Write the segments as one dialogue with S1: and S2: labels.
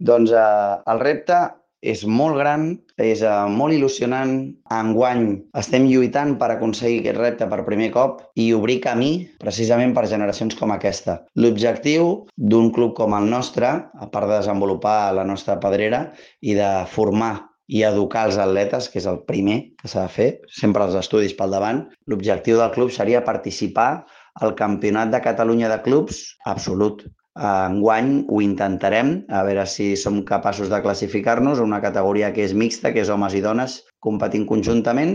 S1: Doncs el repte és molt gran, és molt il·lusionant. Enguany estem lluitant per aconseguir aquest repte per primer cop i obrir camí precisament per generacions com aquesta. L'objectiu d'un club com el nostre, a part de desenvolupar la nostra pedrera i de formar i educar els atletes, que és el primer que s'ha de fer, sempre els estudis pel davant, l'objectiu del club seria participar al Campionat de Catalunya de Clubs absolut. Enguany ho intentarem, a veure si som capaços de classificar-nos a una categoria que és mixta, que és homes i dones competint conjuntament.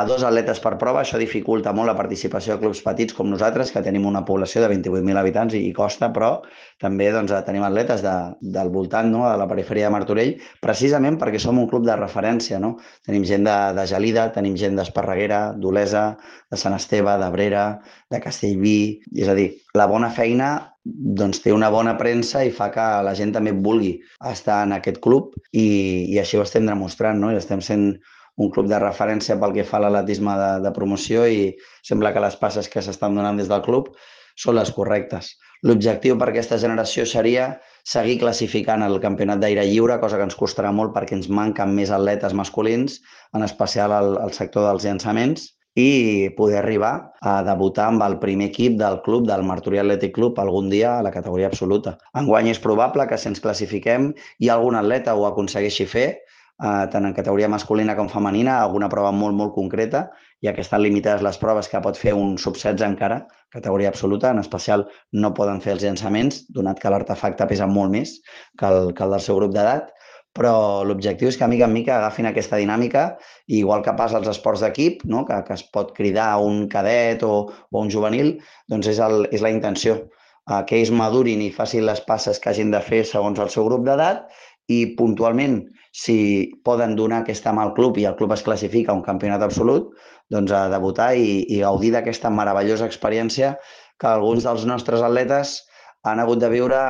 S1: Dos atletes per prova, això dificulta molt la participació de clubs petits com nosaltres, que tenim una població de 28.000 habitants i costa, però també tenim atletes del voltant, no?, de la perifèria de Martorell, precisament perquè som un club de referència, no? Tenim gent de Gelida, tenim gent d'Esparreguera, d'Olesa, de Sant Esteve, d'Abrera, de Castellví. És a dir, la bona feina té una bona premsa i fa que la gent també vulgui estar en aquest club i així ho estem demostrant, no? I estem sent un club de referència pel que fa a l'atletisme de promoció i sembla que les passes que s'estan donant des del club són les correctes. L'objectiu per aquesta generació seria seguir classificant el campionat d'aire lliure, cosa que ens costarà molt perquè ens manquen més atletes masculins, en especial al sector dels llançaments, i poder arribar a debutar amb el primer equip del club, del Martorell Athletic Club, algun dia a la categoria absoluta. Enguany és probable que si ens classifiquem i algun atleta ho aconsegueixi fer, tant en categoria masculina com femenina, alguna prova molt, molt concreta, ja que estan limitades les proves que pot fer un sub-16 encara, categoria absoluta, en especial no poden fer els llançaments, donat que l'artefacte pesa molt més que el del seu grup d'edat, però l'objectiu és que mica en mica agafin aquesta dinàmica, i igual que passa als esports d'equip, no?, que es pot cridar a un cadet o un juvenil, doncs és la intenció, que ells madurin i facin les passes que hagin de fer segons el seu grup d'edat i puntualment, si poden donar aquesta mà al club i el club es classifica a un campionat absolut, doncs a debutar i gaudir d'aquesta meravellosa experiència que alguns dels nostres atletes han hagut de viure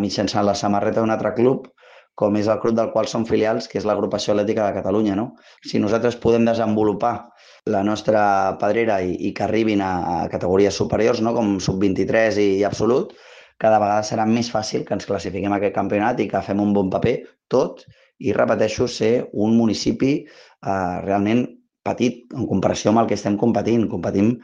S1: mitjançant la samarreta d'un altre club, com és el club del qual som filials, que és l'Agrupació Atlètica de Catalunya, no? Si nosaltres podem desenvolupar la nostra pedrera i que arribin a categories superiors, no?, com sub-23 i absolut, cada vegada serà més fàcil que ens classifiquem a aquest campionat i que fem un bon paper tot, i repeteixo, ser un municipi realment petit en comparació amb el que estem competint. Competim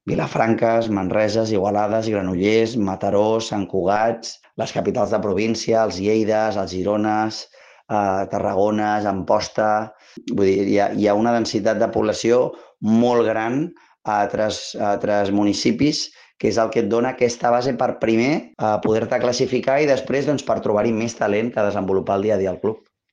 S1: Vilafranques, Manreses, Igualades, Granollers, Mataró, Sant Cugat, les capitals de província, els Lleides, els Girones, Tarragones, Amposta. Vull dir, hi ha una densitat de població molt gran a altres municipis, que és el que et dona aquesta base per primer poder-te classificar i després per trobar-hi més talent que desenvolupar el dia a dia al club.